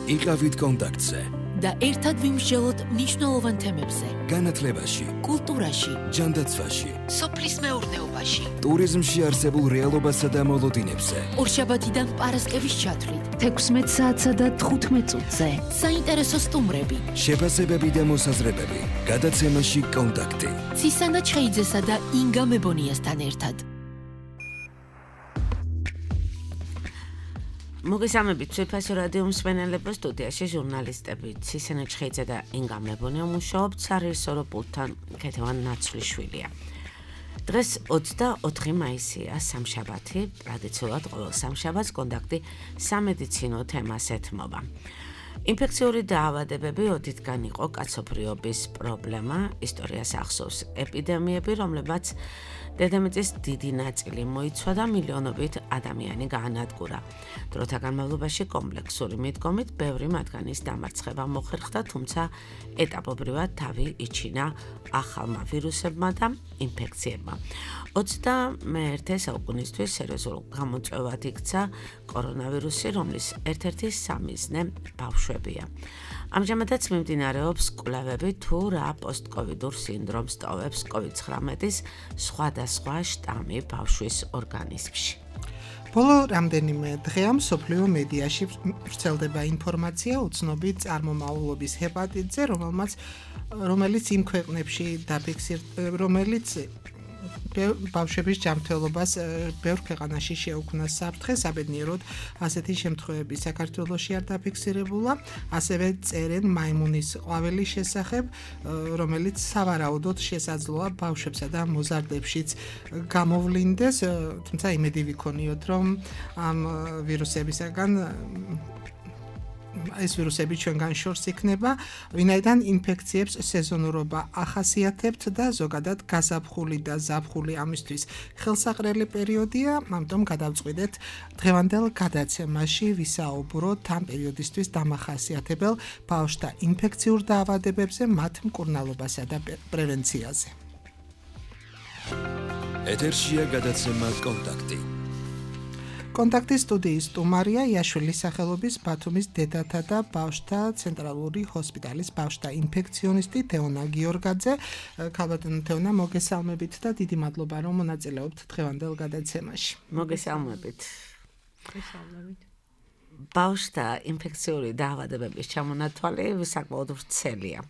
იყავით კონტაქტზე და ერთად ვიმსჯელოთ მნიშვნელოვან თემებზე. განათლებაში, კულტურაში, ჯანდაცვაში, სოფლის მეურნეობაში, ტურიზმში არსებულ რეალობასა და მოლოდინებზე. ორშაბათიდან პარასკევის ჩათვლით, 16 საათსა და 15 წუთზე. საინტერესო სტუმრები, შეფასებები და მოსაზრებები. გადაცემაში კონტაქტი. ცისანა ჩხეიძესა და ინგა მებონიასთან ერთად. მოგესალმებით, ციფასო რადიო მსმენელებო, სტუდიაში ჟურნალისტები ცისანა ჩხეიძე და ინგა მებონია მუშაობთ სარეჟისორო პულტთან ქეთევან ნაცვლიშვილია. დღეს 24 მაისია, სამშაბათი, ტრადიციულად ყოველ სამშაბათს კონტაქტი სამედიცინო თემას ეთმობა. ინფექციური დაავადებები ოდითგან იყო კაცობრიობის პრობლემა, ისტორიას ახსოვს ეპიდემიები, რომლებმაც დედამიწის დიდი ნაწილი მოიცვა და მილიონობით ადამიანი გაანადგურა. დროთა განმავლობაში კომპლექსური მიდგომით ბევრი მათგანის დამარცხება მოხერხდა, თუმცა ეტაპობრივად თავი იჩინა ახალმა ვირუსებმა და ინფექციებმა. 21 საუკუნისთვის სერიოზულ გამოწვევად იქცა კორონავირუსი, რომლის ერთ-ერთი სამიზნე ბავშვებია. ამჟამადაც მიმდინარეობს კვლევები თუ რა პოსტკოვიდურ სინდრომს ტოვებს COVID-19-ის სხვადასხვა შტამი ბავშვის ორგანიზმში. ბოლო რამდენიმე დღეა მსოფლიო მედიაში ვრცელდება ინფორმაცია უცნობი წარმომავლობის ჰეპატიტზე, რომელიც იმ ქვეყნებში რომელიც ბავშვების ჯანმრთელობას ბევრ ქვეყანაში შეუქმნა საფრთხე, საბედნიეროდ ასეთი შემთხვევები საქართველოში არ დაფიქსირებულა, ასევე წერენ მაიმუნის ყვავილის შესახებ, რომელიც სავარაუდოდ შესაძლოა ბავშვებსა და მოზარდებშიც გამოვლინდეს, თუმცა იმედი ვიქონიოთ, რომ ამ ვირუსებისაგან ეს ვირუსები ჩვენგან შორს იქნება, ვინაიდან ინფექციებს სეზონურობა ახასიათებთ და ზოგადად გაზაფხული და ზაფხული ამისთვის ხელსაყრელი პერიოდია, ამიტომ გადავწყვიტეთ დღევანდელ გადაცემაში ვისაუბროთ ამ პერიოდისთვის დამახასიათებელ ბავშვთა ინფექციურ დაავადებებზე, მათ მკურნალობასა და პრევენციაზე. ეთერშია გადაცემა კონტაქტი. კონტაქტის სტუდიის სტუმარია იაშვილის სახელობის ბათუმის დედათა და ბავშვთა ცენტრალური ჰოსპიტალის ბავშვთა ინფექციონისტი თეონა გიორგაძე. ქალბატონო თეონა, მოგესალმებით და დიდი მადლობა, რომ მონაწილეობთ დღევანდელ გადაცემაში. მოგესალმებით. ბავშვთა ინფექციური დაავადებების ჩამონათვალი საკმაოდ ვრცელია.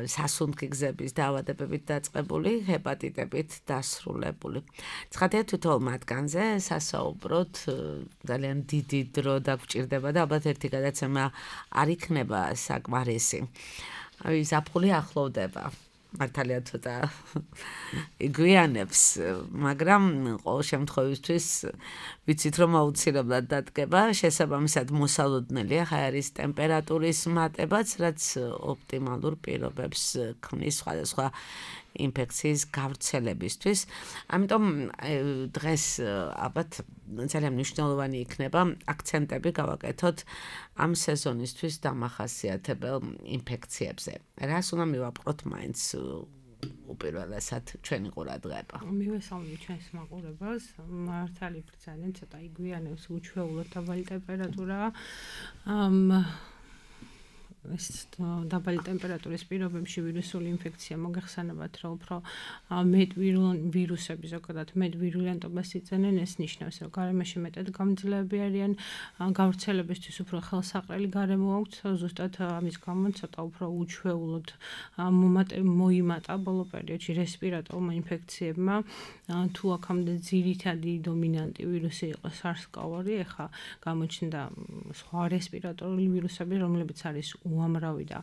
სასუნთქი გზების დაავადებებით დაწყებული, ჰეპატიტებით დასრულებული. ცხადია თითოეულ მათგანზე სასაუბროთ ძალიან დიდი დრო დაგვჭირდება და ალბათ ერთი გადაცემა არ იქნება საკმარისი. ზაფხული ახლოვდება. მართალია ცოტა იგვიანებს, მაგრამ ყოველ შემთხვევისთვის ვიცით, რომ აუცილებლად დადგება, შესაბამისად მოსალოდნელია ჰაერის ტემპერატურის მატებაც, რაც ოპტიმალურ პირობებს ქმნის სხვადასხვა ინფექციის გავრცელებისთვის. ამიტომ დღეს ალბათ ძალიან მნიშვნელოვანი იქნება აქცენტები გავაკეთოთ ამ სეზონისთვის დამახასიათებელ ინფექციებზე. რას უნდა მივაპყროთ მაინც უპირველესად ჩვენი ყურადღება? მივესალმებით ჩვენს მაყურებელს. მართალი ძალიან ცოტა იგვიანებს უჩვეულოდ დაბალი ტემპერატურა. ეს დაბალი ტემპერატურის პირობებში ვირუსული ინფექცია მოგეხსენებათ, რომ უფრო მეტ ვირუსები ზოგადად მეტ ვირულენტობას იწვევენ, ეს ნიშნავს, რომ გარემოში მეტად გამძლეები არიან, გავრცელებისთვის უფრო ხელსაყრელი გარემო აქვთ, ზუსტად ამის გამო ცოტა უფრო უჩვეულოდ მოიმატა ბოლო პერიოდში რესპირატორულმა ინფექციებმა, თუ აქამდე ძირითადი დომინანტი ვირუსი იყო SARS-CoV-2, ეხლა გამოჩნდა სხვა რესპირატორული ვირუსები, რომლებიც არის უამრავი და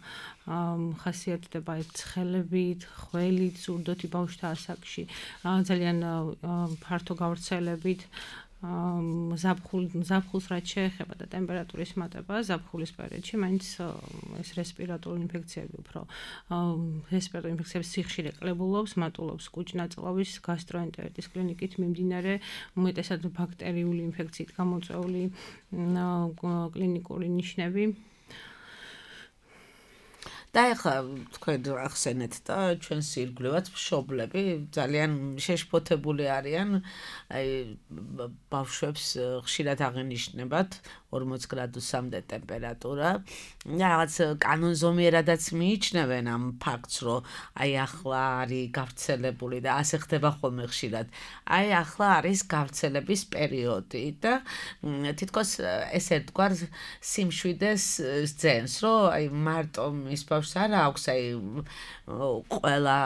ხასიათდება ცხელებით, ხველით, ზურდოთი ბავშვთა ასაკში, ძალიან ფართო გავრცელებით, ზაფხულს რაც შეეხება და ტემპერატურის მატება, ზაფხულის პერიოდში მაინც ეს რესპირატორული ინფექციები უფრო რესპირატორული ინფექციების სიხშირე კლებულობს, მატულობს კუჭ-ნაწლავის გასტროენტერიტის კლინიკით მიმდინარე, უმეტესად ბაქტერიული ინფექციით გამოწვეული კლინიკური ნიშნები. და ეხლა თქვენ ახსენეთ და ჩვენს ირგვლივაც მშობლები ძალიან შეშფოთებული არიან, ბავშვებს ხშირად აღენიშნებათ 40 გრადუსამდე ტემპერატურა. რაღაც კანონზომიერადაც მიიჩნევენ ამ ფაქტს, რომ აი ახლა არის გავრცელებული და ასე ხდება ხოლმე ხშირად. აი ახლა არის გავრცელების პერიოდი და თითქოს ეს ერთგვარ სიმშვიდეს ძენს, რომ აი მარტო მის ბავშვს არ აქვს აი ყველა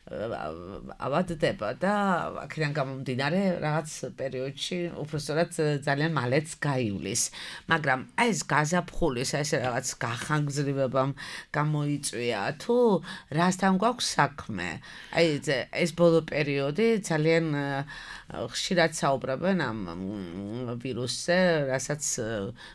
ავადდება და აქედან გამომდინარე რაღაც პერიოდში უბრალოდ ძალიან მალეც გაივლის. მაგრამ აი ეს გაზაფხულის ეს რაღაც გახანგრძლივებამ გამოიწვია თუ რასთან გვაქვს საქმე? აი ეს ბოლო პერიოდი ძალიან ხშირად საუბრობენ ამ ვირუსზე, რასაც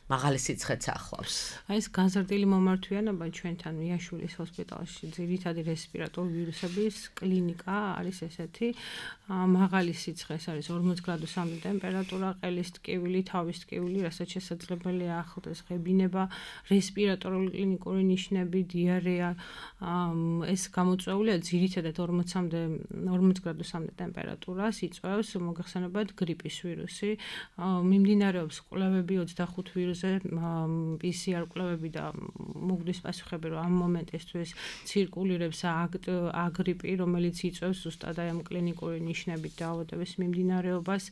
მაღალი სიცხეც ახლავს. აი ეს გაზრდილი მომართვიანობა ჩვენთან მიაშვილის ჰოსპიტალში ძირითადი რესპირატორული ვირუსების კლინიკა არის ესეთი. მაღალი სიცხე არის 40 გრადუსამდე ტემპერატურა, ყელის ტკივილი, თავის ტკივილი, რასაც შესაძლებელია ახლდეს ღებინება, რესპირატორული კლინიკური ნიშნები, დიარეა. ეს გამოწვეულია ძირითადად 40 გრადუსამდე ტემპერატურას იწვევს მოგეხსენებათ გრიპის ვირუსი. მიმდინარეობს კვლევები 25 ვირუსზე, PCR კვლევები და მოგდის პასუხები, რომ ამ მომენტისთვის ცირკულირებს აგრიპი, რომელიც იწვევს ზუსტად აი ამ კლინიკური ნიშნებით დაავადების მიმდინარეობას.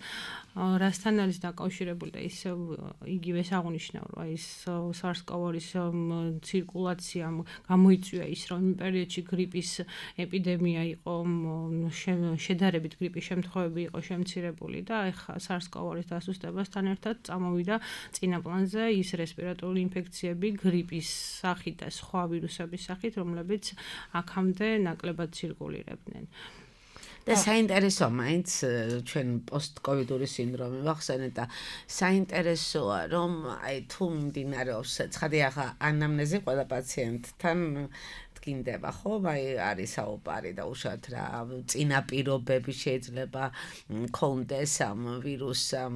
რასთან არის დაკავშირებული და ის იგივეს აღნიშნავ, რომ აი ეს SARS-CoV-2-ის ცირკულაცია გამოიწვია ის, რომ იმ პერიოდში გრიპის ეპიდემია იყო, შედარებით გრიპის შემთხვევები იყო შემცირებული და ეხლა SARS-CoV-2-ის დასუსტებასთან ერთად წამოვიდა წინა პლანზე ის რესპირატორული ინფექციები გრიპის სახით და სხვა ვირუსების სახით, რომლებიც აქამდე ნაკლებად ცირკულირებდნენ. და საინტერესო მაინც ჩვენ პოსტკოვიდური სინდრომი ვახსენეთ და საინტერესოა რომ აი თუ მიმდინარეობს ცხადი ახლა ანამნეზი ყველა პაციენტთან გინდება ხო აი არის საუბარი და უშუალოდ რა წინაპირობები შეიძლება კონდეს ამ ვირუსამ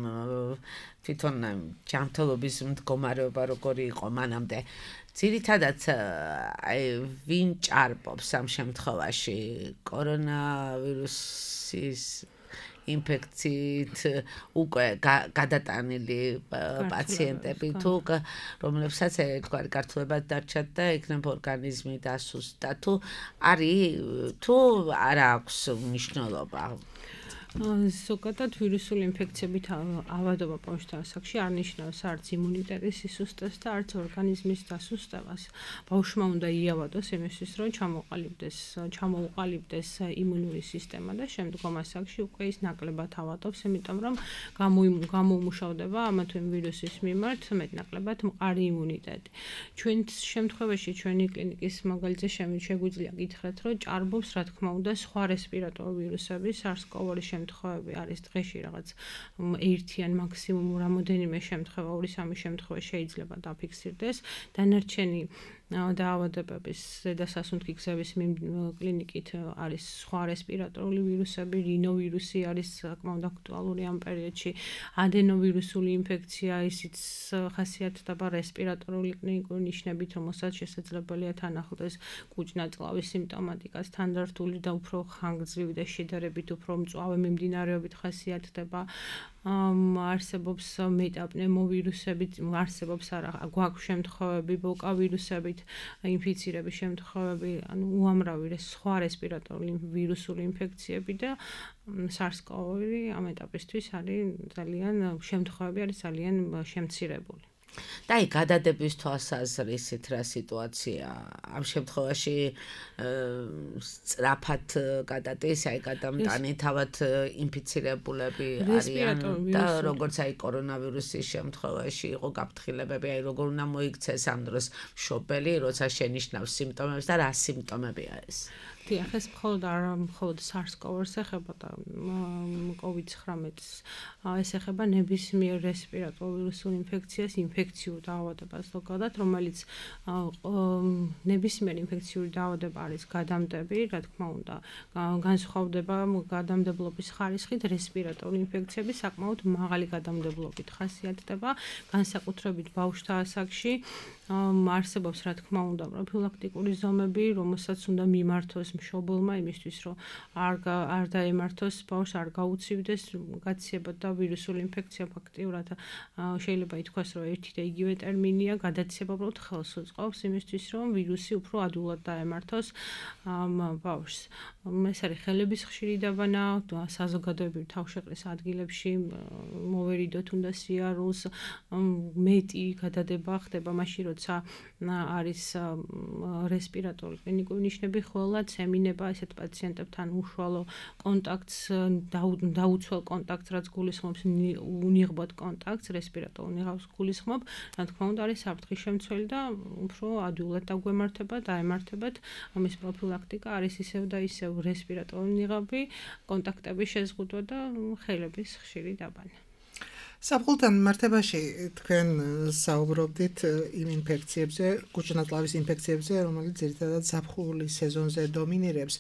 თვითონ ჯანმრთელობის მდგომარეობა როგორი იყო მანამდე ძირითადად აი ვინ ჭარბობს ამ შემთხვევაში კორონავირუსის ინფექციით უკვე გადატანილი პაციენტები თუ რომლებსაც ერთგვარი გართულებად დარჩათ და იქნებ ორგანიზმი დასუსტდა თუ არის თუ არ აქვს მნიშვნელობა ზოგადად ვირუსული ინფექციებით ავადობა ბავშვთა ასაკში არ ნიშნავს არც იმუნიტეტის სისუსტეს და არც ორგანიზმის დასუსტებას. ბავშვმა უნდა იავადოს იმისთვის, რომ ჩამოუყალიბდეს იმუნური სისტემა და შემდგომ ასაკში უკვე ის ნაკლებად ავადობს, იმიტომ რომ გამოუმუშავდება ამა თუ იმ ვირუსის მიმართ მეტნაკლებად მყარი იმუნიტეტი. ჩვენ შემთხვევაში ჩვენი კლინიკის მაგალითზე შეგვიძლია გითხრათ, რომ ჭარბობს რა თქმა უნდა სხვა რესპირატორული ვირუსები, SARS-CoV-2 შემთხვევები არის დღეში რაღაც ერთი ან მაქსიმუმ რამოდენიმე შემთხვევა, 2-3 შემთხვევა შეიძლება დაფიქსირდეს. დანარჩენი დაავადებების ზედასასუნთქი გზების კლინიკით არის სხვა რესპირატორული ვირუსები, რინოვირუსი არის საკმაოდ აქტუალური ამ პერიოდში, ადენოვირუსული ინფექცია, ისიც ხასიათდება რესპირატორული კლინიკური ნიშნებით, რომელსაც შესაძლებელია თან ახლდეს კუჭ-ნაწლავის სიმპტომატიკას, თანდართული და უფრო ხანგრძლივი და შედარებით უფრო მწვავე მიმდინარეობით ხასიათდება. არსებობს მეტაპნევმოვირუსებით, არსებობს არა გვაქვს შემთხვევები ბოკა ვირუსებით ინფიცირების შემთხვევები, ანუ უამრავი სხვა რესპირატორული ვირუსული ინფექციები და SARS-CoV-2 ამ ეტაპისთვის არის ძალიან შემთხვევები არის ძალიან შემცირებული. და აი გადადების თვალსაზრისით რა სიტუაცია ამ შემთხვევაში სწრაფად გადადის აი გადამტანი თავად ინფიცირებულები არიან და როგორც აი კორონავირუსის შემთხვევაში იყო გაფრთხილებები აი როგორ უნდა მოიქცეს ამ დროს მშობელი როცა შენიშნავს სიმპტომებს და რა სიმპტომებია ეს დიახ, ეს მხოლოდ SARS-CoV-2-ს ეხება და COVID-19-ს ეს ეხება ნებისმიერ რესპირატორულ ვირუსულ ინფექციას, ინფექციურ დაავადებას ზოგადად, რომელიც ნებისმიერ ინფექციური დაავადება არის გადამდები, რა თქმა უნდა, განსხვავდება გადამდებლობის ხარისხით, რესპირატორული ინფექციები საკმაოდ მაღალი გადამდებლობით ხასიათდება, განსაკუთრებით ბავშვთა ასაკში. არსებობს რა თქმა უნდა პროფილაქტიკური ზომები, რომელსაც უნდა მიმართოს მშობელმა იმისთვის რომ არ დაემართოს ბავშვს, არ გაუცივდეს გაცება და ვირუსული ინფექცია ფაქტიურად შეიძლება ითქვას რომ ერთი და იგივე ტერმინია, გადაცება უბრალოდ ხელს უწყობს იმისთვის რომ ვირუსი უფრო ადვილად დაემართოს ბავშვს. ეს არის ხელების ხშირი დაბანა, საზოგადოებრივ თავშეყრის ადგილებში მოვერიდოთ უნდა სიარულს, მეტი გადადება ხდება მაშინ როცა არის რესპირატორული კლინიკური ნიშნები, ხოლმე ემინება ესეთ პაციენტებთან უშუალო კონტაქტს, დაუცველ კონტაქტს, რაც გულისხმობს უნიღბად კონტაქტს, რესპირატორულ უნიღავს გულისხმობ, რა თქმა უნდა არის საფრთხის შემცველი და უფრო ადვილად დაგვემართება, დაემართებათ. ამის პროფილაქტიკა არის ისევ და ისევ რესპირატორული უნიღაბი, კონტაქტების შეზღუდვა და ხელების ხშირი დაბანა. საფხულთან მართებაში თქვენ საუბრობდით იმ ინფექციებზე, კუჭნაწლავის ინფექციებზე, რომელიც ძირითადად ზაფხულის სეზონზე დომინირებს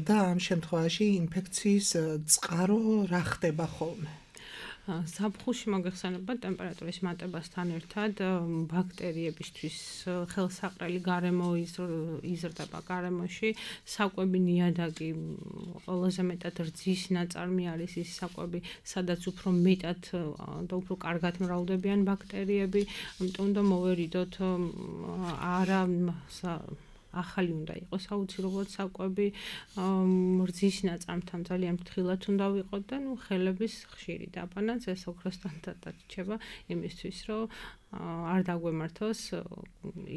და ამ შემთხვევაში ინფექციის წყარო რა ხდება ხოლმე? ზაფხულში მოგეხსენება ტემპერატურის მატებასთან ერთად ბაქტერიებისთვის ხელსაყრელი გარემო იზრდება გარემოში, საკვები ნიადაგი ყველაზე მეტად რძის ნაწარმი არის ის საკვები, სადაც უფრო მეტად და უფრო კარგად მრავლდებიან ბაქტერიები, ამიტომ უნდა მოვერიდოთ არა ახალი უნდა იყოს აუცილებლად საკვები, რძის ნაწარმთან ძალიან ფრთხილად უნდა ვიყოთ და ხელების ხშირი დაბანაც ეს ოქროსთან დარჩება იმისთვის, რომ არ დაგვემართოს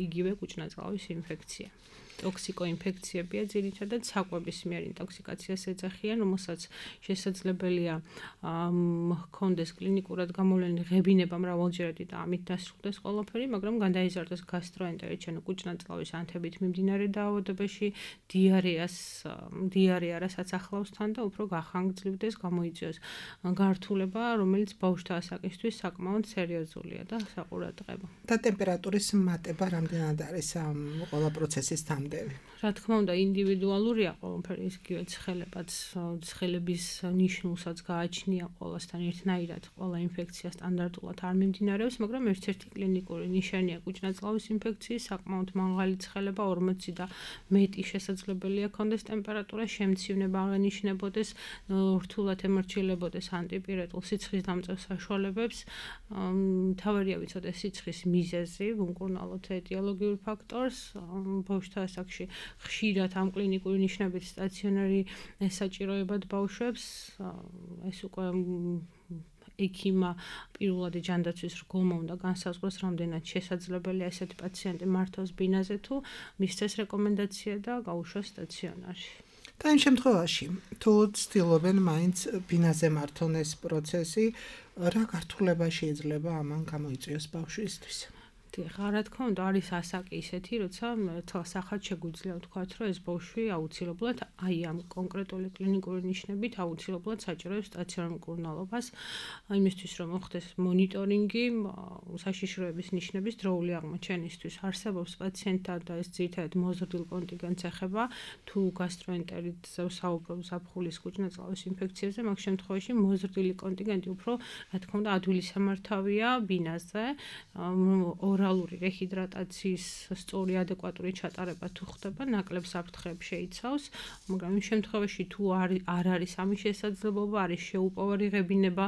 იგივე კუჭნაწლავის ინფექცია. ტოქსიკოინფექციებია ძირითადად საკვების მიერ ინტოქსიკაციას ეძახიან, რომელსაც შესაძლებელია ჰქონდეს კლინიკურად გამოვლენილი ღებინება მრავალჯერადი და ამით დასრულდეს ყველაფერი, მაგრამ გადაიზარდოს გასტროენტერიტი, ანუ კუჭნაწლავის ანთებით მიმდინარე დაავადებაში, დიარეა, რასაც ახლავს თან და უფრო გახანგრძლივდეს, გამოიწვიოს გართულება, რომელიც ბავშვთა ასაკისთვის საკმაოდ სერიოზულია და საყურადღებო. და ტემპერატურის მატება რამდენად არის ამ ყველა პროცესის თამბ? რა თქმა უნდა ინდივიდუალურია ყველაფერი, იგივე ცხელების ნიშნულსაც გააჩნია ყველასთან ერთნაირად, ყველა ინფექცია სტანდარტულად არ მიმდინარეობს, მაგრამ ერთ-ერთი კლინიკური ნიშანია კუჭნაწლავის ინფექციის საკმაოდ მაღალი ცხელება, 40 და მეტი შესაძლებელია ქონდეს ტემპერატურა, შემცივნება აღენიშნებოდეს, რთულად ემორჩილებოდეს ანტიპირეტულ სიცხის დამწევ საშუალებებს, მთავარია ვიცოდეთ სიცხის მიზეზი, ვუმკურნალოთ ეტიოლოგიურ ფაქტორს, ბავშვთა ასაკში ხშირად ამ კლინიკური ნიშნებით სტაციონარი საჭიროებად ბავშვებს, ეს უკვე ექიმა პირველად ჯანდაცვის რგოლმა უნდა განსაზღვროს, რამდენად შესაძლებელია ესეთი პაციენტი მართოს ბინაზე თუ მისცეს რეკომენდაცია და გაუშვას სტაციონარში. და იმ შემთხვევაში, თუ ცდილობენ მაინც ბინაზე მართონ ეს პროცესი, რა გართულება შეიძლება ამან გამოიწვიოს ბავშვისთვის? რა თქმა უნდა არის ასაკი ისეთი, როცა თვალსახად შეგვიძლია ვთქვათ, რომ ეს ბავშვი აუცილებლად აი ამ კონკრეტული კლინიკური ნიშნებით აუცილებლად საჭიროებს სტაციონარ მკურნალობას, იმისთვის რომ მოხდეს მონიტორინგი, საშიშროების ნიშნების დროული აღმოჩენისთვის. არსებობს პაციენტთა და ეს ძირითადად მოზრდილ კონტინგენტს ეხება, თუ გასტროენტერიტზე ვსაუბრობ ზაფხულის კუჭნაწლავის ინფექციებზე, მაგ შემთხვევაში მოზრდილი კონტინგენტი უფრო, რა თქმა უნდა, ადვილი სამართავია ბინაზე, ორალური რეჰიდრატაციის სწორი ადეკვატური ჩატარება თუ ხდება, ნაკლებ საფრთხეებს შეიცავს, მაგრამ იმ შემთხვევაში თუ არ არის ამის შესაძლებლობა, არის შეუპოვარი ღებინება,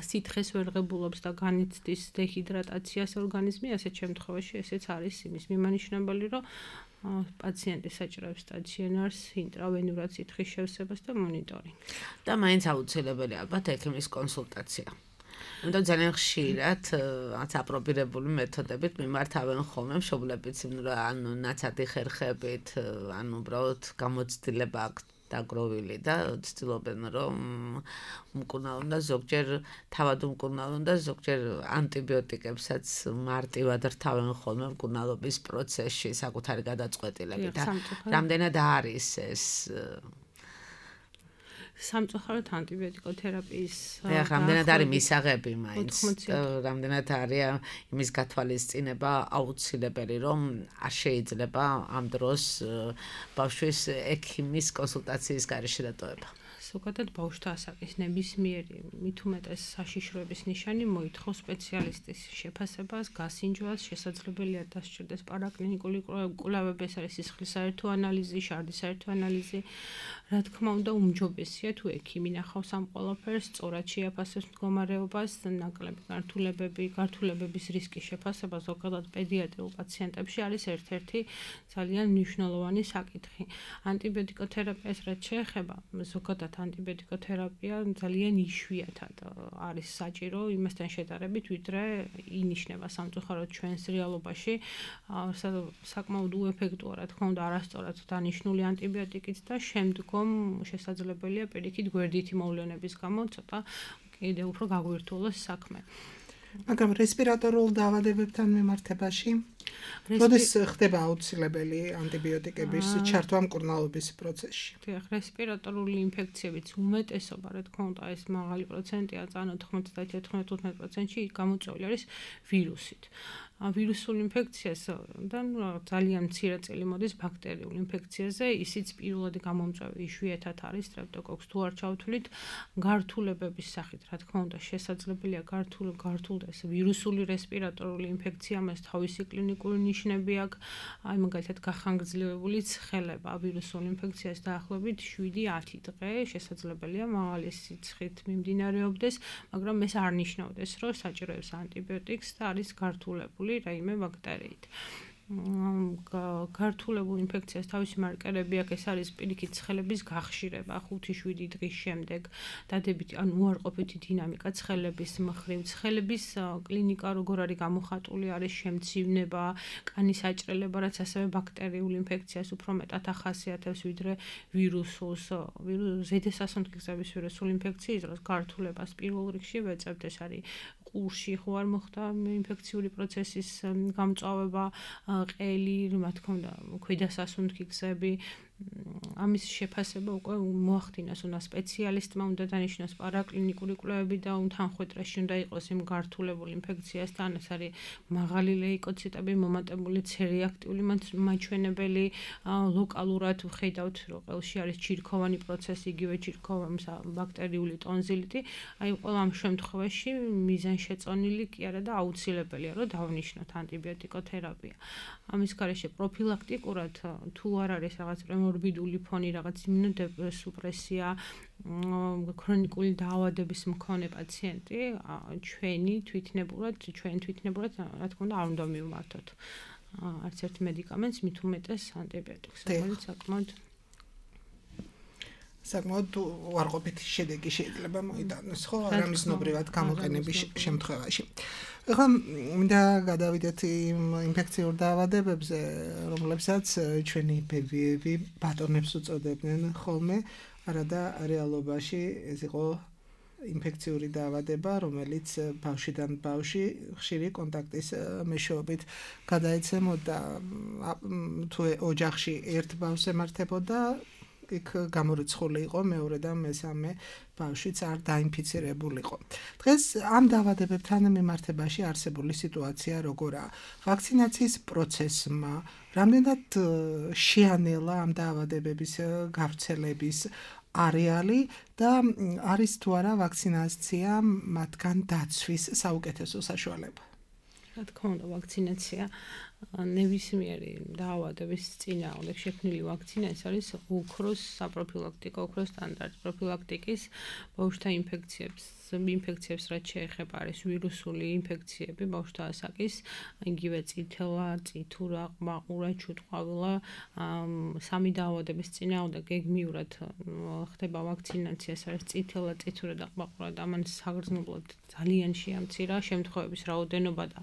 სითხეს ვერ ღებულობს და განიცდის დეჰიდრატაციას ორგანიზმი, ასეთ შემთხვევაში ესეც არის იმის მიმანიშნებელი, რომ პაციენტი საჭიროებს სტაციონარს, ინტრავენურად სითხის შევსებას და მონიტორინგს. და მაინც აუცილებელია ალბათ ექიმის კონსულტაცია. უნდა ძალიან ხშირად აპრობირებული მეთოდებით მიმართავენ ხოლმე მშობლებიც, ანუ ნაცადი ხერხებით, ანუ უბრალოდ გამოცდილება აქვს დაგროვილი და ცდილობენ რომ მკურნალონ და ზოგჯერ თავად უმკურნალონ და ზოგჯერ ანტიბიოტიკებსაც მარტივად რთავენ ხოლმე მკურნალობის პროცესში საკუთარი გადაწყვეტილებით და რამდენად არის ეს სამწუხაროდ ანტიბიოტიკოთერაპიის რამდენად არის მისაღები მაინც რამდენად არის იმის გათვალისწინება აუცილებელი რომ არ შეიძლება ამ დროს ბავშვის ექიმის კონსულტაციის გარეშე დატოვება. ზოგადად ბავშვთა ასაკის ნებისმიერი მით უმეტეს საშიშროების ნიშანი მოითხოვს სპეციალისტის შეფასებას, გასინჯვას, შესაძლებელია დასჭირდეს პარაკლინიკური კვლევები, ეს არის სისხლის საერთო ანალიზი, შარდის საერთო ანალიზი. Რა თქმა უნდა, უმჯობესია თუ ექიმი ნახავს ამ ყველაფერს, სწორად შეაფასებს მდგომარეობას, ნაკლები გართულებების რისკის შეფასება ზოგადად პედიატრიულ პაციენტებში არის ერთ-ერთი ძალიან მნიშვნელოვანი საკითხი. ანტიბიოტიკოთერაპიას რაც შეეხება, ზოგადად ანტიბიოტიკოთერაპია ძალიან იშვიათად არის საჭირო იმასთან შედარებით, ვიდრე ინიშნება სამწუხაროდ ჩვენს რეალობაში, საკმაოდ უეფექტოა, რა თქმა უნდა, არასწორად დანიშნული ანტიბიოტიკით და შემდგომ შესაძლებელია პირიქით გვერდითი მოვლენების გამო ცოტა კიდევ უფრო გაგვირთულოს საქმე. მაგრამ რესპირატორულ დაავადებებთან მიმართებაში როდის ხდება აუცილებელი ანტიბიოტიკების ჩართვა მკურნალობის პროცესში? დიახ, რესპირატორული ინფექციებიც უმეტესობა, რა თქმა უნდა, ეს მაღალი პროცენტია, წანა 99-15%-ში გამოწვეული არის ვირუსით. ვირუსულ ინფექციასთან ძალიან მცირე წელი მოდის ბაქტერიულ ინფექციაზე, ისიც პირველადი გამომწვევი იშვიათად არის სტრეპტოკოკს თუ არ ჩავთვლით გართულებების სახით, რა თქმა უნდა, შესაძლებელია გართულდეს ვირუსული რესპირატორული ინფექცია, მას თავისი კლინიკური ნიშნები აქვს, აი მაგალითად გახანგრძლივებული ცხელება ვირუსულ ინფექციას დაახლოებით 7-10 დღე შესაძლებელია მაღალი სიცხით მიმდინარეობდეს, მაგრამ ეს არ ნიშნავდეს, რომ საჭიროებს ანტიბიოტიკს და არის გართულებული რაიმე ბაქტერიით. გართულებულ ინფექციას თავისი მარკერები აქვს, ეს არის პირიქით ცხელების გახშირება 5-7 დღის შემდეგ, დადებითი ან უარყოფითი დინამიკა ცხელების მხრივ, ცხელების კლინიკა როგორ არის გამოხატული, არის შემცივნება, კანის აჭრელება, რაც ასევე ბაქტერიულ ინფექციას უფრო მეტად ახასიათებს, ვიდრე ვირუსულს. ზედესასუნთქი ვირუსული ინფექციის დროს გართულებას პირველ რიგში ვეწევთ, ეს არის ყურში ხო არ მოხდა ინფექციური პროცესის გამწვავება, ყელი, რა თქმა უნდა, ქვედასასუნთქი გზები, ამის შეფასება უკვე მოახდინოს, უნდა სპეციალისტმა უნდა დანიშნოს პარაკლინიკური კვლევები და თანხმდეტრაში უნდა იყოს იმ გართულებულ ინფექციასთან, ეს არის მაღალი ლეიკოციტები, მომატებული ცერეაქტიული მაჩვენებელი, ლოკალურად ვხედავთ, რომ ყელში არის ჩირქოვანი პროცესი, იგივე ჩირქოვანი ბაქტერიული ტონზილიტი, აი ყველა ამ შემთხვევაში მიზანშეწონილი კი არა და აუცილებელია, რომ დავნიშნოთ ანტიბიოტიკოთერაპია. ამის გარეშე პროფილაქტიკურად თუ არ არის რაღაც პრემორბიდული ფონი, რაღაც იმუნოსუპრესია, ქრონიკული დაავადების მქონე პაციენტი, ჩვენ თვითნებურად, რა თქმა უნდა, არ უნდა მივმართოთ არც ერთ მედიკამენტს, მით უმეტეს ანტიბიოტიკს, რომელიც საკმაოდ უარყოფითი შედეგი შეიძლება მოიტანოს, ხო, არამიზნობრივად გამოყენების შემთხვევაში. ეხლა მინდა გადავიდეთ იმ ინფექციურ დაავადებებზე, რომლებსაც ჩვენი ბებიები ბატონებს უწოდებდნენ ხოლმე, არადა რეალობაში ეს იყო ინფექციური დაავადება, რომელიც ბავშვიდან ბავშვი ხშირი კონტაქტის მეშვეობით გადაეცემოდა, თუ ოჯახში ერთ ბავშვს ემართებოდა, იქ გამორიცხული იყო მეორე და მესამე ბავშვიც არ დაინფიცირებულიყო. დღეს ამ დაავადებებთან მიმართებაში არსებული სიტუაცია როგორაა? ვაქცინაციის პროცესმა რამდენად შეანელა ამ დაავადებების გავრცელების არეალი და არის თუ არა ვაქცინაცია მათგან დაცვის საუკეთესო საშუალება? რა თქმა უნდა, ვაქცინაცია ნებისმიერი დაავადების წინააღმდეგ შექმნილი ვაქცინა, ეს არის ოქროს საპროფილაქტიკო, ოქროს სტანდარტი პროფილაქტიკის ბავშვთა ინფექციებს რაც შეეხება არის ვირუსული ინფექციები ბავშვთა ასაკის, იგივე წითელა, წითურა, ყმაყურა, ჩუტყვავილა, სამი დაავადების წინააღმდეგ გეგმიურად ხდება ვაქცინაცია, ეს არის წითელა, წითურა და ყმაყურა და ამან საგრძნობლად ძალიან შეამცირა შემთხვევების რაოდენობა და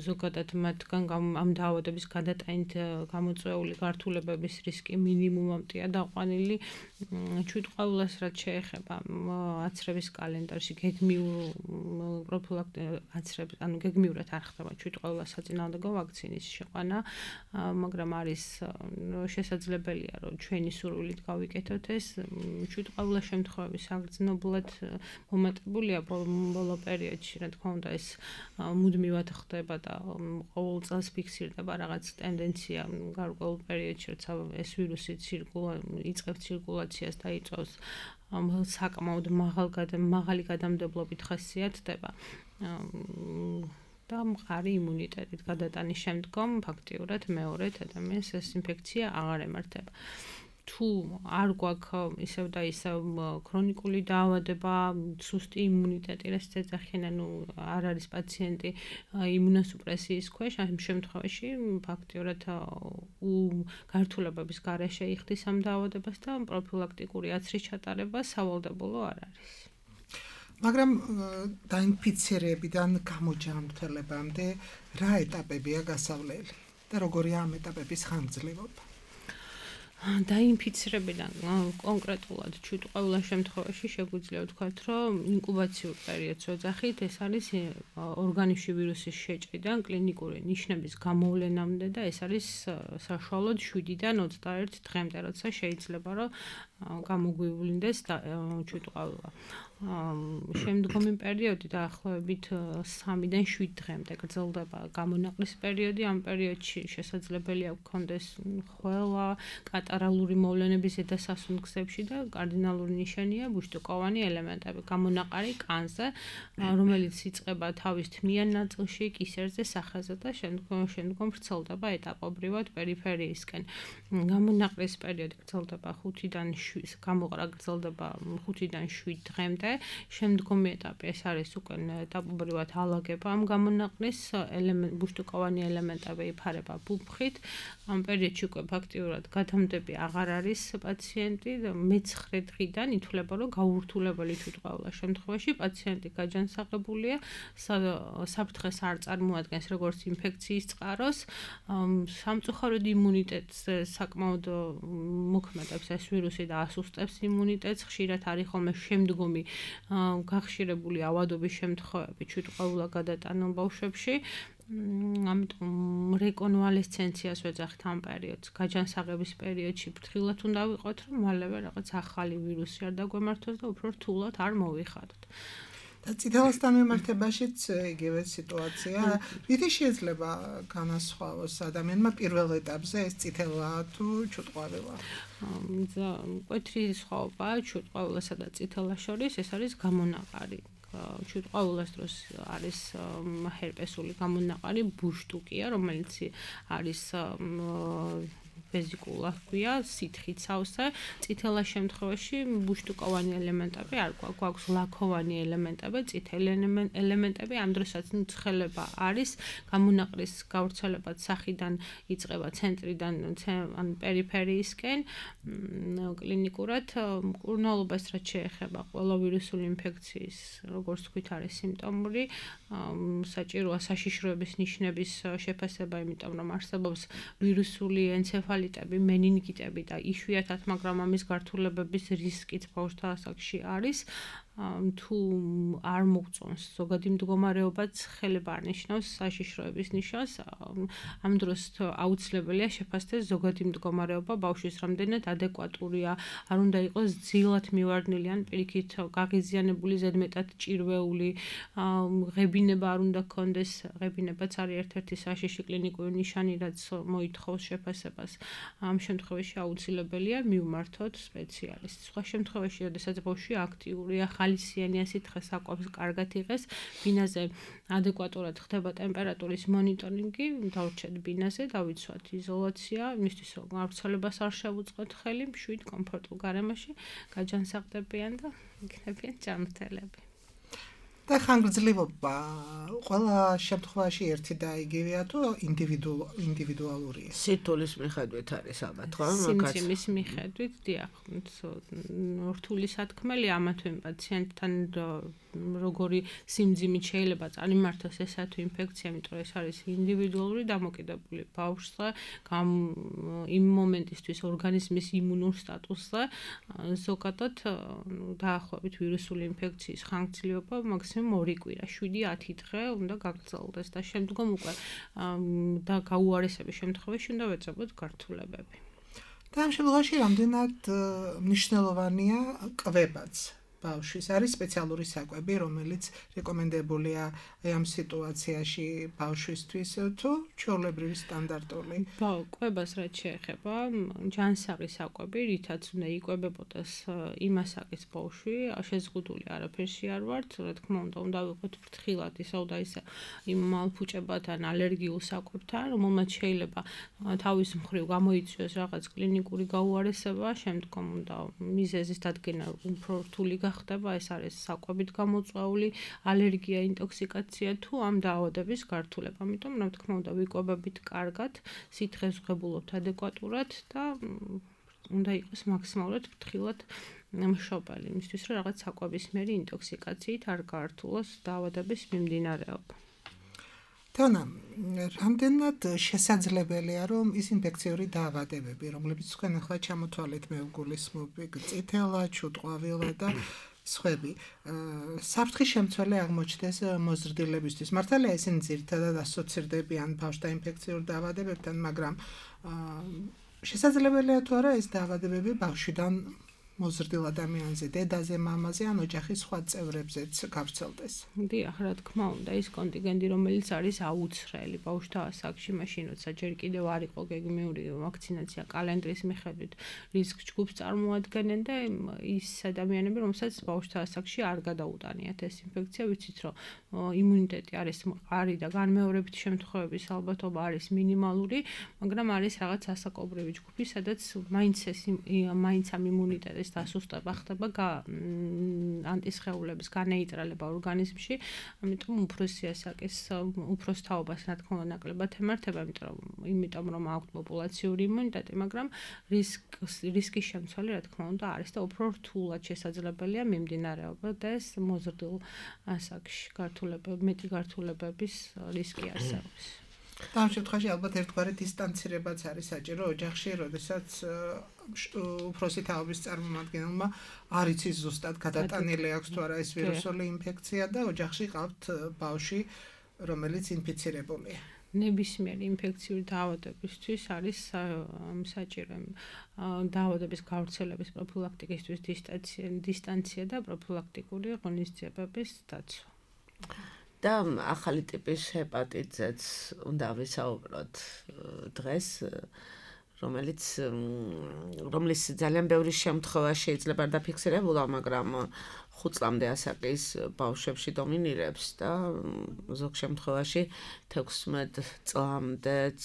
ზოგადად მათგან ამ დაავადების გადატანით გამოწვეული გართულებების რისკი მინიმუმამდეა დაყვანილი. ჩუტყვავილას რაც შეეხება აცრების კალენდარში გეგმიურად არ ხდება ჩუტყვავილას საწინააღმდეგო ვაქცინის შეყვანა, მაგრამ არის შესაძლებელია, რომ ჩვენი სურვილით გავიკეთოთ ეს. ჩუტყვავილას შემთხვევები საგრძნობლად მომატებულია ბოლო პერიოდში, რა თქმა უნდა, ეს მუდმივად მუდმივად ხდება და ყოველ წელს ფიქსირდება რაღაც ტენდენცია გარკვეულ პერიოდში, როცა ეს ვირუსი იწყებს ცირკულაციას და იწვევს საკმაოდ მაღალი გადამდებლობით ხასიათდება და მყარი იმუნიტეტით გადატანის შემდგომ ფაქტიურად მეორედ ადამიანს ეს ინფექცია აღარ ემართება. თუ არ გვაქვს ისევ და ისევ ქრონიკული დაავადება, სუსტი იმუნიტეტი, რასაც ეძახიან, არ არის პაციენტი იმუნოსუპრესიის ქვეშ, ამ შემთხვევაში ფაქტიურად გართულებების გარეშე იხდის ამ დაავადებას და პროფილაქტიკური აცრის ჩატარება სავალდებულო არ არის. მაგრამ დაინფიცირებიდან გამოჯანმრთელებამდე რა ეტაპებია გასავლელი და როგორია ამ ეტაპების ხანგრძლივობა? დაინფიცირებიდან კონკრეტულად ყოველ შემთხვევაში შეგვიძლია ვთქვათ, რომ ინკუბაციურ პერიოდს ვეძახით, ეს არის ორგანიზმში ვირუსის შეჭრიდან კლინიკური ნიშნების გამოვლენამდე და ეს არის საშუალოდ 7-დან 21 დღემდე, როცა შეიძლება რომ გამოგვივლინდეს ჩუტყავილა. შემდგომი პერიოდი დაახლოებით 3-დან 7 დღემდე გრძელდება გამონაყრის პერიოდი. ამ პერიოდში შესაძლებელია გქონდეს ხველა, კატარალური მოვლენების ზედასასუნთქსებში და კარდინალური ნიშანია ბუშტუკოვანი ელემენტები. გამონაყარი კანზე, რომელიც იწყება თავის თმიან ნაწილში, კისერზე, სახეზე და შემდგომ ვრცელდება ეტაპობრივად პერიფერიისკენ. გამონაყრის პერიოდი გრძელდება 5-დან 7 დღემდე. შემდგომი ეტაპი ეს არის უკვე ეტაპობრივად ალაგება ამ გამონაყრის ბუშტუკოვანი ელემენტები იფარება ბუფხით. ამ პერიოდში უკვე ფაქტიურად გადამდები აღარ არის პაციენტი. მე-9 დღიდან ითვლება, რომ გაურთულებელი ჩუტყავილას შემთხვევაში პაციენტი გაჯანსაღებულია, საფრთხეს არ წარმოადგენს როგორც ინფექციის წყაროს. სამწუხაროდ იმუნიტეტს sakmaud მოქმედებს ეს ვირუსი და ასუსტებს იმუნიტეტს. ხშირად არის ხოლმე შემდგომი გახშირებული ავადობის შემთხვევები ჩუტყავილა გადატანილ ბავშვებში. ამიტომ რეკონვალესცენციას ვეძახთ ამ პერიოდს. გაჯანსაღების პერიოდში ფრთხილად უნდა ვიყოთ, რომ მალევე რაღაც ახალი ვირუსი არ დაგვემართოს და უფრო რთულად არ მოვიხადოთ. და წითელასთან მიმართებაშიც იგივე სიტუაცია. რითი შეიძლება განასხვავოს ადამიანმა პირველ ეტაპზე ეს წითელა თუ ჩუტყავილა? მკვეთრი სხვაობაა ჩუტყავილასა და წითელას შორის, ეს არის გამონაყარი. ჩუტყავილას დროს არის ჰერპესული გამონაყარი, ბუშტუკია, რომელიც არის ვეზიკულა ჰქვია, სითხით სავსე. წითელას შემთხვევაში ბუშტუკოვანი ელემენტები არ გვაქვს, ლაქოვანი ელემენტები, წითელი ელემენტები. ამ დროსაც ცხელება არის, გამონაყრის გავრცელება სახიდან იწყება ცენტრიდან ან პერიფერიისკენ. კლინიკურად მკურნალობას რაც შეეხება ყველა ვირუსული ინფექციის, როგორც თქვით, არის სიმპტომური. საჭიროა საშიშროების ნიშნების შეფასება, იმიტომ რომ არსებობს ვირუსული ენცეფალიტები, მენინგიტები და იშვიათად, მაგრამ ამის გართულებების რისკიც ბავშვთა ასაკში არის. თუ არ მოგწონს ზოგადი მდგომარეობაც ხელება არ ნიშნავს საშიშროების ნიშანს. ამ დროს აუცილებელია შეფასდეს ზოგადი მდგომარეობა ბავშვის რამდენად ადეკვატურია, არ უნდა იყოს ძილად მივარდნილი ან პირიქით გაღიზიანებული, ზედმეტად ჭირვეული, ღებინება არ უნდა გქონდეს. ღებინებაც არის ერთ-ერთი საშიში კლინიკური ნიშანი, რაც მოითხოვს შეფასებას. ამ შემთხვევაში აუცილებელია მივმართოთ სპეციალისტს. სხვა შემთხვევაში, როდესაც ბავშვი აქტიურია, ხალისიანი სითხე საკვებს კარგად იღეს, ბინაზე ადეკვატურად ხდება ტემპერატურის მონიტორინგი, დავრჩეთ ბინაზე, დავიცვათ იზოლაცია, იმისთვის რომ გავრცელებას არ შევუწყოთ ხელი, მშვიდ კომფორტულ გარემოში გაჯანსაღდებიან და იქნებიან ჯანმრთელები. და ხანგრძლივობა ყველა შემთხვევაში ერთი და იგივეა თუ ინდივიდუალურია? სირთულის მიხედვით არის ალბათ, ხო? სიმძიმის მიხედვით, დიახ, რთული სათქმელი ამა თუ იმ პაციენტთან როგორი სიმძიმით შეიძლება წარიმართოს ესა თუ ინფექცია, იმიტომ რომ ეს არის ინდივიდუალური დამოკიდებული ბავშვზე, იმ მომენტისთვის ორგანიზმის იმუნურ სტატუსზე. ზოგადად დაახლოებით ვირუსული ინფექციის ხანგრძლივობა მაქსიმუმ 2 კვირა, 7-10 დღე უნდა გაგრძელდეს და შემდგომ უკვე და გაუარესების შემთხვევაში უნდა ვეწებოთ გართულებები. და ამ შემთხვევაში რამდენად მნიშვნელოვანია კვებაც? ბავშვის არის სპეციალური საკვები, რომელიც რეკომენდებულია ამ სიტუაციაში ბავშვისთვის თუ ჩვეულებრივი სტანდარტული. კვებას რაც შეეხება, ჯანსაღი საკვები, რითაც უნდა იკვებებოდეს იმასაკის ბავშვი, შეზღუდული არაფერში არ ვართ, რა თქმა უნდა ვიყოთ ფრთხილად ისევ და ისე იმ მალფუჭებათან, ალერგიულ საკვებთან, რომელმაც შეიძლება თავის მხრივ გამოიწვიოს რაღაც კლინიკური გაუარესება, შემდგომ უნდა მიზეზის დადგენა უფრო რთული ხდება, ეს არის საკვებით გამოწვეული ალერგია, ინტოქსიკაცია თუ ამ დაავადების გართულება. ამიტომ რა თქმა უნდა ვიკვებებით კარგად, სითხეს ვღებულობთ ადეკვატურად და უნდა იყოს მაქსიმალურად ფრთხილად მშობელი, იმისთვის რომ რაღაც საკვებისმიერი ინტოქსიკაციით არ გაართულოს დაავადების მიმდინარეობა. თონა, რამდენად შესაძლებელია, რომ ის ინფექციური დაავადებები, რომლებიც თქვენ ახლა ჩამოთვალეთ, მე ვგულისხმობ, წითელა, ჩუტყვავილა და სხვები, საფრთხის შემცველი აღმოჩნდეს მოზრდილებისთვის. მართალია ისინი ძირითადად ასოცირდებიან ბავშვთა ინფექციურ დაავადებებთან, მაგრამ შესაძლებელია თუ არა ეს დაავადებები ბავშვიდან მოზრდილ ადამიანზე, დედაზე, მამაზე ან ოჯახის სხვა წევრებზეც გავრცელდეს. დიახ, რა თქმა უნდა, ის კონტინგენტი, რომელიც არის აუცხრელი ბავშვთა ასაკში, მაშინ როცა ჯერ კიდევ არ იყო გეგმიური ვაქცინაცია კალენდრის მიხედვით, რისკ ჯგუფს წარმოადგენენ და ის ადამიანები, რომელსაც ბავშვთა ასაკში არ გადაუტანიათ ეს ინფექცია, ვიცით, რომ იმუნიტეტი არის მყარი და განმეორებითი შემთხვევების ალბათობა არის მინიმალური, მაგრამ არის რაღაც ასაკობრივი ჯგუფი, სადაც მაინც ამ იმუნიტეტის დასუსტება ხდება ანტისხეულების განეიტრალება ორგანიზმში, ამიტომ უფროსი ასაკის უფროსთაობას რა თქმა უნდა ნაკლებად ემართება, იმიტომ რომ აქვთ პოპულაციური იმუნიტეტი, მაგრამ რისკის შემცველი რა თქმა უნდა არის და უფრო რთულად შესაძლებელია მიმდინარეობა და ეს მოზრდილ ასაკში მეტი გართულებების რისკი არსებობს. და ამ შემთხვევაში ალბათ ერთგვარი დისტანცირებაც არის საჭირო ოჯახში, როდესაც უფროსი თაობის წარმომადგენელმა არ იცის ზუსტად გადატანილი აქვს თუ არა ეს ვირუსული ინფექცია და ოჯახში ყავთ ბავშვი, რომელიც ინფიცირებულია. ნებისმიერი ინფექციური დაავადებისთვის არის საჭირო დაავადების გავრცელების პროფილაქტიკისთვის დისტანცია და პროფილაქტიკური ღონისძიებების დაცვა. და ახალი ტიპის ჰეპატიტზეც უნდა ვისაუბროთ დღეს, რომლის ძალიან ბევრი შემთხვევა შეიძლება არ დაფიქსირებულა, მაგრამ 5 წლამდე ასაკის ბავშვებში დომინირებს და ზოგ შემთხვევაში 16 წლამდეც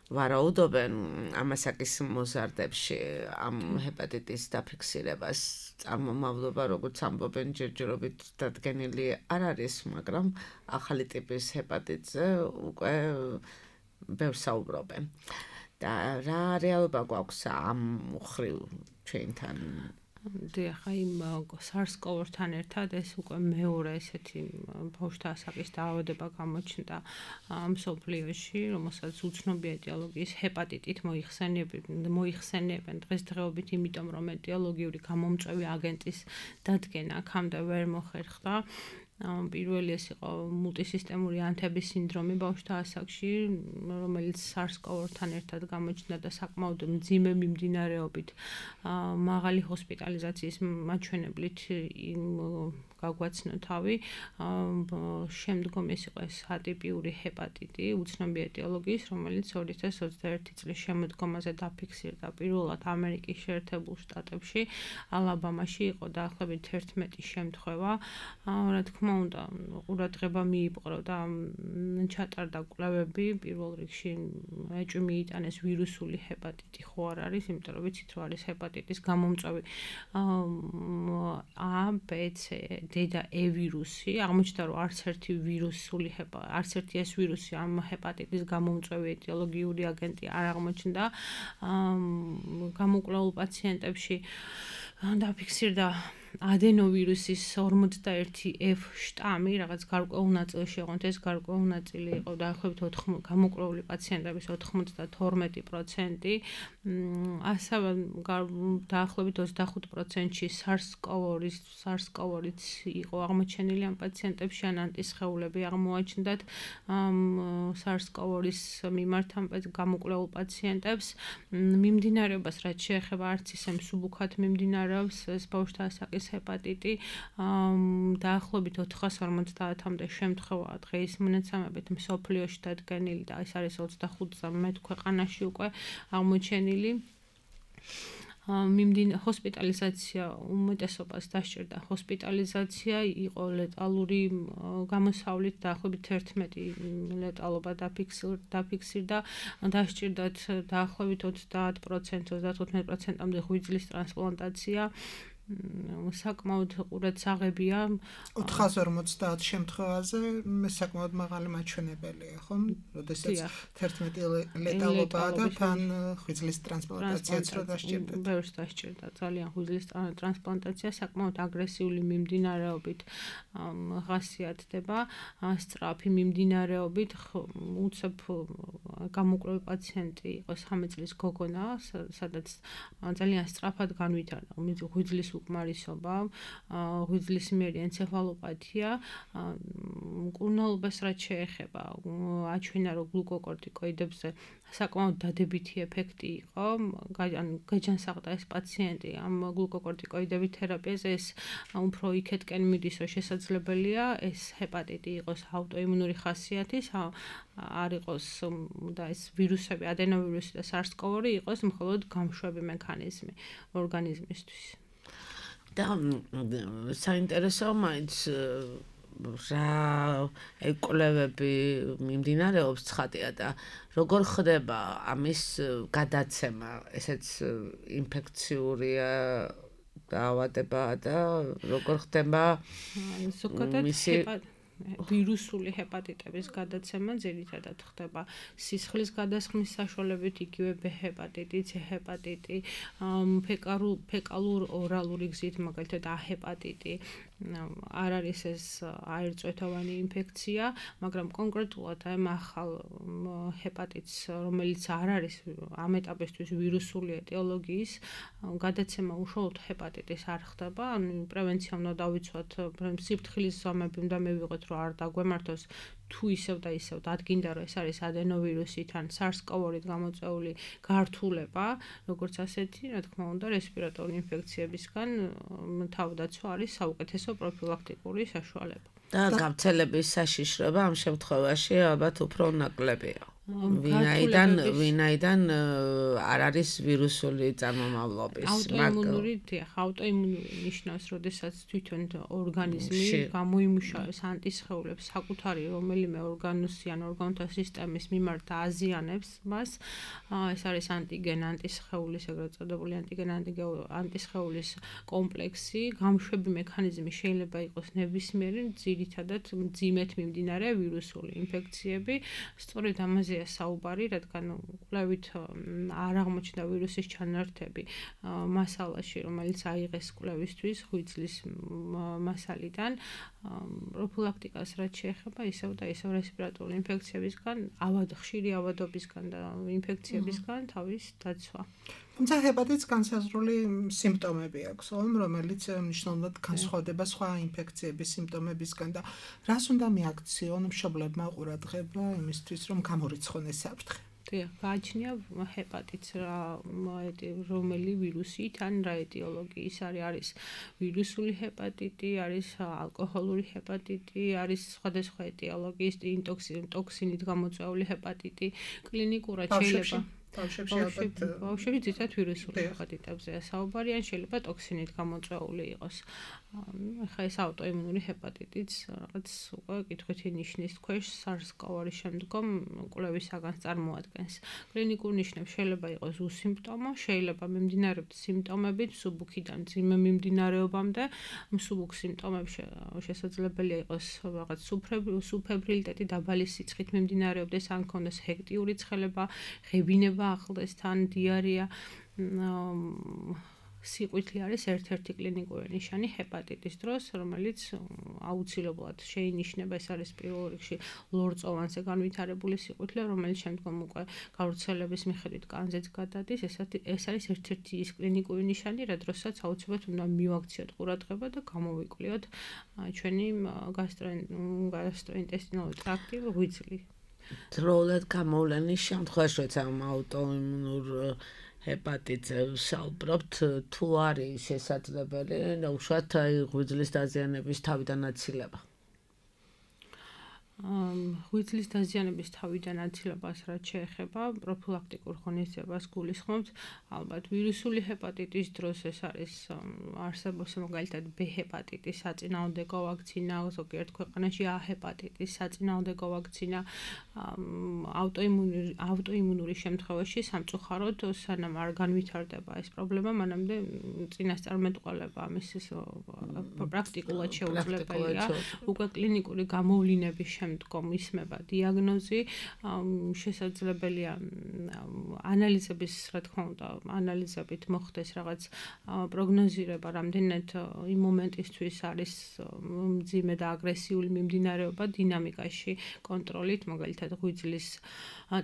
ვარაუდობენ ამ ასაკის მოზარდებში ამ ჰეპატიტის დაფიქსირებას. წარმომავლობა, როგორც ამბობენ, ჯერჯერობით დადგენილი არ არის, მაგრამ ახალი ტიპის ჰეპატიტზე უკვე ბევრს საუბრობენ. და რა რეალობა გვაქვს ამ მხრივ ჩვენთან? დიახ, იმ SARS-CoV-თან ერთად ეს უკვე მეორე ესეთი ბავშვთა ასაკის დაავადება გამოჩნდა მსოფლიოში, რომელსაც უცნობი ეტიოლოგიის ჰეპატიტით მოიხსენიებენ დღესდღეობით, იმიტომ რომ ეტიოლოგიური გამომწვევი აგენტის დადგენა აქამდე ვერ მოხერხდა. პირველი ეს იყო მულტისისტემური ანთების სინდრომი ბავშვთა ასაკში, რომელიც SARS-CoV-თან ერთად გამოჩნდა და საკმაოდ მძიმე მიმდინარეობით მაღალი ჰოსპიტალიზაციის მაჩვენებლით გაგვაცნო თავი. შემდგომ ეს იყო ატიპიური ჰეპატიტი, უცნობი ეტიოლოგიის, რომელიც 2021 წლის შემოდგომაზე დაფიქსირდა პირველად ამერიკის შეერთებულ შტატებში, ალაბამაში იყო დაახლოებით 11 შემთხვევა. რა თქმა უნდა, ყურადღება მიიპყრო და ჩატარდა კვლევები, პირველ რიგში ეჭვი მიიტანეს ვირუსული ჰეპატიტი ხო არ არის, იმიტომ რომ ვიცით რომ არის ჰეპატიტის გამომწვევი A, B, C D და E ვირუსი, აღმოჩნდა რომ არც ერთი ეს ვირუსი ამ ჰეპატიტის გამომწვევი ეტიოლოგიური აგენტი არ აღმოჩნდა. გამოკვლეულ პაციენტებში დაფიქსირდა ადენოვირუსის 51F შტამი, რაღაც გარკვეულ ნაწილში იყო, ეს გარკვეულ ნაწილი იყო დაახლოებით გამოკვლეული პაციენტების 92%. ასევე დაახლოებით 25%-ში SARS-CoV-იც იყო აღმოჩენილი ამ პაციენტებში, ან ანტისხეულები აღმოაჩნდათ SARS-CoV-ის მიმართ ამ გამოკვლეულ პაციენტებს. მიმდინარეობას რაც შეეხება არც ისე მსუბუქად მიმდინარეობს ეს ბავშვთა ასაკის კრონიკის ჰეპატიტი დაახლოებით 450-მდე შემთხვევაა დღეის მონაცემებით მსოფლიოში დადგენილი და ეს არის 25 ქვეყანაში უკვე აღმოჩენილი. ჰოსპიტალიზაცია უმეტესობას დასჭირდა ჰოსპიტალიზაცია იყო ლეტალური გამოსავლით დაახლოებით 11 ლეტალობა დაფიქსირდა დასჭირდათ დაახლოებით 30%-35%-მდე ღვიძლის ტრანსპლანტაცია საკმაოდ ყურადსაღებია 450 შემთხვევაზე საკმაოდ მაღალი მაჩვენებელია ხო? როდესაც 11 ლეტალობაა და თან ღვიძლის ტრანსპლანტაციაც რო დასჭირდათ. ბევრს დასჭირდა ძალიან ღვიძლის ტრანსპლანტაცია საკმაოდ აგრესიული მიმდინარეობით ხასიათდება, სწრაფი მიმდინარეობით უცებ გამოკვლევი პაციენტი იყო 13 წლის გოგონა, სადაც ძალიან სწრაფად განვითარდა ღვიძლის უკმარისობა, ღვიძლის მიერი ენცეფალოპათია, მკურნალობას რაც შეეხება, აჩვენა რომ გლუკოკორტიკოიდებზე საკმაოდ დადებითი ეფექტი იყო, გაჯანსაღდა ეს პაციენტი ამ გლუკოკორტიკოიდების თერაპიაზე, ეს უფრო იქეთკენ მიდის, რომ შესაძლებელია ეს ჰეპატიტი იყოს აუტოიმუნური ხასიათის, არ იყოს და ეს ვირუსები, ადენოვირუსი და SARS-CoV-2 იყოს მხოლოდ გამშვები მექანიზმი ორგანიზმისთვის. და საინტერესოა მაინც რა ეკვლევები მიმდინარეობს ცხადია და როგორ ხდება ამის გადაცემა, ესეც ინფექციურია დაავადება და როგორ ხდება მისი ვირუსული ჰეპატიტების გადაცემა ძირითადად ხდება სისხლის გადასხმის საშუალებით, იგივე B ჰეპატიტი, C ჰეპატიტი, ფეკალურ ორალური გზით, მაგალითად A ჰეპატიტი. არ არის ეს აირწვეთოვანი ინფექცია, მაგრამ კონკრეტულად ამ ახალ ჰეპატიტს, რომელიც არ არის ამ ეტაპისთვის ვირუსული ეტიოლოგიის, გადაცემა უშუალოდ ჰეპატიტის არ ხდება, ანუ პრევენცია უნდა დავიცვათ, სიფრთხილის ზომები უნდა მივიღოთ, რომ არ დაგვემართოს თუ ისევ და ისევ დადგინდა, რომ ეს არის ადენოვირუსით ან SARS-CoV-2-ით გამოწვეული გართულება, როგორც ასეთი, რა თქმა უნდა, რესპირატორული ინფექციებისგან თავდაცვა არის საუკეთესო პროფილაქტიკური საშუალება. და გავრცელების საშიშროება ამ შემთხვევაში ალბათ უფრო ნაკლებია. ვინაიდან არ არის ვირუსული წარმომავლობის. აუტოიმუნური ნიშნავს, როდესაც თვითონ ორგანიზმი გამოიმუშავებს ანტისხეულებს საკუთარი რომელიმე ორგანოსი ან ორგანოთა სისტემის მიმართ აზიანებს მას. ეს არის ანტიგენ ანტისხეულის, ეგრეთ წოდებული ანტიგენ ანტისხეულის კომპლექსი. გამშვები მექანიზმი შეიძლება იყოს ნებისმიერი, ძირითადად მძიმედ მიმდინარე ვირუსული ინფექციები. სწორედ ამაზე საუბარი, რადგან კვლევით არ აღმოჩნდა ვირუსის ჩანართები მასალაში, რომელიც აიღეს კვლევისთვის ღვიძლის მასალიდან. პროფილაქტიკას რაც შეეხება ისევ და ისევ რესპირატორული ინფექციებისგან, ხშირი ავადობისგან და ინფექციებისგან თავის დაცვა. თუმცა ჰეპატიტს განსაზღვრული სიმპტომები აქვს, რომელიც მნიშვნელოვნად განსხვავდება სხვა ინფექციების სიმპტომებისგან და რას უნდა მიაქციონ მშობლებმა ყურადღება იმისთვის, რომ გამორიცხონ ეს საფრთხე. გააჩნია ჰეპატიტს რომელი ვირუსით ან რა ეტიოლოგიის არის ვირუსული ჰეპატიტი, არის ალკოჰოლური ჰეპატიტი, არის სხვადასხვა ეტიოლოგიის ტოქსინით გამოწვეული ჰეპატიტი, კლინიკურად შეიძლება ბავშვები ძირითადად ვირუსული ჰეპატიტებზეა საუბარი, ან შეიძლება ტოქსინით გამოწვეული იყოს. ახლა ეს აუტოიმუნური ჰეპატიტიც რაღაც უკვე კითხვითი ნიშნის ქვეშ SARS-CoV-2 შემდგომ კვლევისაგან წარმოადგენს. კლინიკურ ნიშნებს შეიძლება იყოს უსიმპტომო, შეიძლება მიმდინარეობდეს სიმპტომებით მსუბუქიდან მძიმე მიმდინარეობამდე. მსუბუქ სიმპტომებში შესაძლებელია იყოს რაღაც სუფებრილიტეტი დაბალი სიცხით მიმდინარეობდეს, ან ქონდეს ჰექტიური ცხელება, ღებინება ახლდეს თან, დიარეა. სიყვითლე არის ერთ-ერთი კლინიკური ნიშანი ჰეპატიტის დროს, რომელიც აუცილებლად შეინიშნება, ეს არის პირველ რიგში ლორწოვანზე განვითარებული სიყვითლე, რომელიც შემდგომ უკვე გავრცელების მიხედვით კანზეც გადადის, ეს არის ერთ-ერთი ის კლინიკური ნიშანი, რა დროსაც აუცილებლად უნდა მივაქციოთ ყურადღება და გამოვიკვლიოთ ჩვენი გასტროინტესტინალური ტრაქტი, ღვიძლი. დროულად გამოვლენის შემთხვევაში, როცა აუტოიმუნურ ჰეპატიტზე ვსაუბრობთ, თუ არის შესაძლებელი უშუალოდ ღვიძლის დაზიანების თავიდან აცილება. ღვიძლის დაზიანების თავიდან აცილებას რაც შეეხება პროფილაქტიკურ ღონისძიებას გულისხმობთ, ალბათ ვირუსული ჰეპატიტის დროს ეს არის არსებობს მაგალითად B ჰეპატიტის საწინააღმდეგო ვაქცინა, ზოგიერთ ქვეყანაში A ჰეპატიტის საწინააღმდეგო ვაქცინა, ავტოიმუნური შემთხვევაში სამწუხაროდ სანამ არ განვითარდება ეს პრობლემა, მანამდე წინასწარმეტყველება ამის პრაქტიკულად შეუძლებელია. უკვე კლინიკური გამოვლინების შემდგომ ისმება დიაგნოზი, შესაძლებელია ანალიზების, რა თქმა უნდა, ანალიზებით მოხდეს რაღაც პროგნოზირება, რამდენად იმ მომენტისთვის არის მძიმე და აგრესიული მიმდინარეობა დინამიკაში კონტროლით, მაგალითად ღვიძლის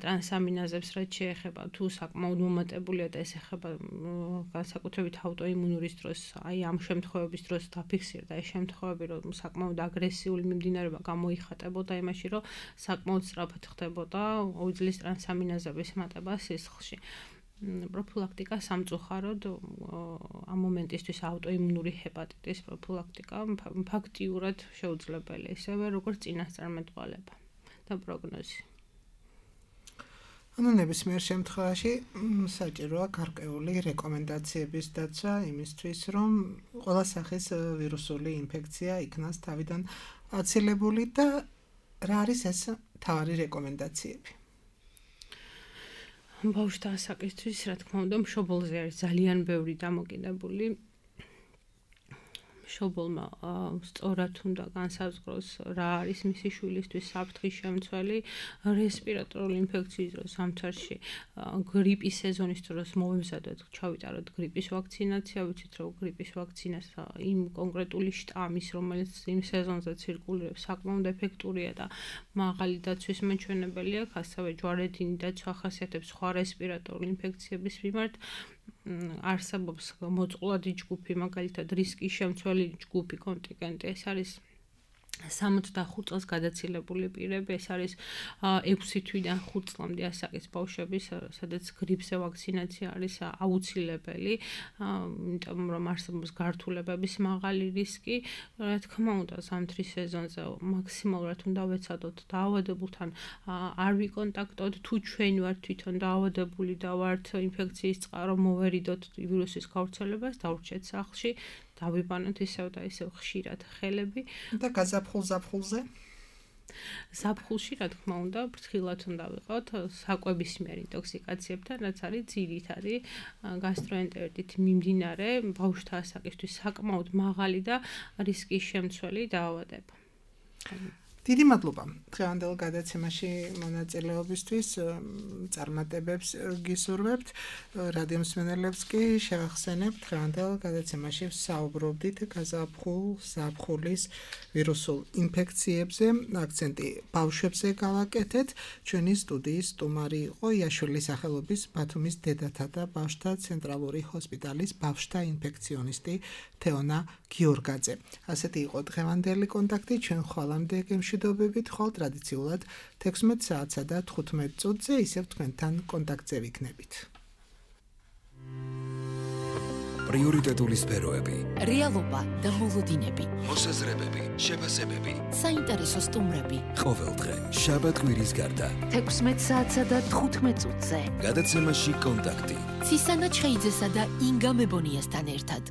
ტრანსამინაზებს რაც შეეხება, თუ საკმაოდ მომატებულია და ეს ეხება განსაკუთრებით ავტოიმუნურის დროს, აი ამ შემთხვევების დროს დაფიქსირდა ეს შემთხვევები, რომ საკმაოდ აგრესიული მიმდინარეობა გამოიხატებოდა იმაში, რომ საკმაოდ სწრაფად ხდებოდა ღვიძლის ტრანსამინაზების მატება სისხლში. პროფილაქტიკა სამწუხაროდ ამ მომენტისთვის ავტოიმუნური ჰეპატიტის პროფილაქტიკა ფაქტიურად შეუძლებელია, ისევე როგორც წინასწარმეტყველება და პროგნოზი. ანუ ნებისმიერ შემთხვევაში საჭიროა გარკვეული რეკომენდაციების დაცვა იმისთვის, რომ ყველა სახის ვირუსული ინფექცია იქნას თავიდან აცილებული და რა არის ეს თავარი რეკომენდაციები? ბავშვთა ასაკისთვის, რა თქმა უნდა, მშობელზე არის ძალიან ბევრი დამოკიდებული. მშობელმა სწორად უნდა განსაზღვროს რა არის მისი შვილისთვის საფრთხის შემცველი, რესპირატორული ინფექციის დროს სამწარში, გრიპის სეზონის დროს მოვემზადოთ, ჩავიტაროთ გრიპის ვაქცინაცია, ვიცით რომ გრიპის ვაქცინას იმ კონკრეტული შტამის, რომელიც იმ სეზონზე ცირკულირებს, საკმაოდ ეფექტურია და მაღალი დაცვის მაჩვენებელი აქვს, ასევე ჯვარედინი დაცვა ახასიათებს სხვა რესპირატორული ინფექციების მიმართ. არსებობს მოწყვლადი ჯგუფი, მაგალითად რისკის შემცველი ჯგუფი, კონტინგენტი, ეს არის 65 წელს გადაცილებული პირები, ეს არის 6 თვიდან 5 წლამდე ასაკის ბავშვები, სადაც გრიპზე ვაქცინაცია არის აუცილებელი, იმიტომ რომ არსებობს გართულებების მაღალი რისკი. რა თქმა უნდა, ზამთრის სეზონზე მაქსიმალურად უნდა ვეცადოთ დაავადებულთან არ ვიკონტაქტოთ, თუ ჩვენ ვართ თვითონ დაავადებული და ვართ ინფექციის წყარო, მოვერიდოთ ვირუსის გავრცელებას, დავრჩეთ სახლში, დავიბანოთ ისევ და ისევ ხშირად ხელები და გაზაფხულ-ზაფხულზე? ზაფხულში, რა თქმა უნდა, ფრთხილად უნდა ვიყავთ საკვებისმიერ ინტოქსიკაციებთან, რაც არის ძირითადი გასტროენტერიტით მიმდინარე ბავშვთა ასაკისთვის საკმაოდ მაღალი და რისკის შემცველი დაავადება. დიდი მადლობა დღევანდელ გადაცემაში მონაწილეობისთვის, წარმატებებს გისურვებთ. რადიო მსმენელებს კი შევახსენებთ, დღევანდელ გადაცემაში ვსაუბრობდით გაზაფხულ-ზაფხულის ვირუსულ ინფექციებზე, აქცენტი ბავშვებზე გავაკეთეთ. ჩვენი სტუდიის სტუმარი იყო იაშვილის სახელობის ბათუმის დედათა და ბავშვთა ცენტრალური ჰოსპიტალის ბავშვთა ინფექციონისტი თეონა გიორგაძე. ასეთი იყო დღევანდელი კონტაქტი, ჩვენ ხვალამდე გემშვიდობებით, ხვალ ტრადიციულად 16 საათსა და 15 წუთზე ისევ თქვენთან კონტაქტზე ვიქნებით. პრიორიტეტული სფეროები, რეალობა და მოლოდინები, მოსაზრებები, შეფასებები, საინტერესო სტუმრები. ყოველდღე, შაბათ-კვირის გარდა. 16 საათსა და 15 წუთზე. გადაცემაში კონტაქტი. ცისანა ჩხეიძესა და ინგა მებონიასთან ერთად.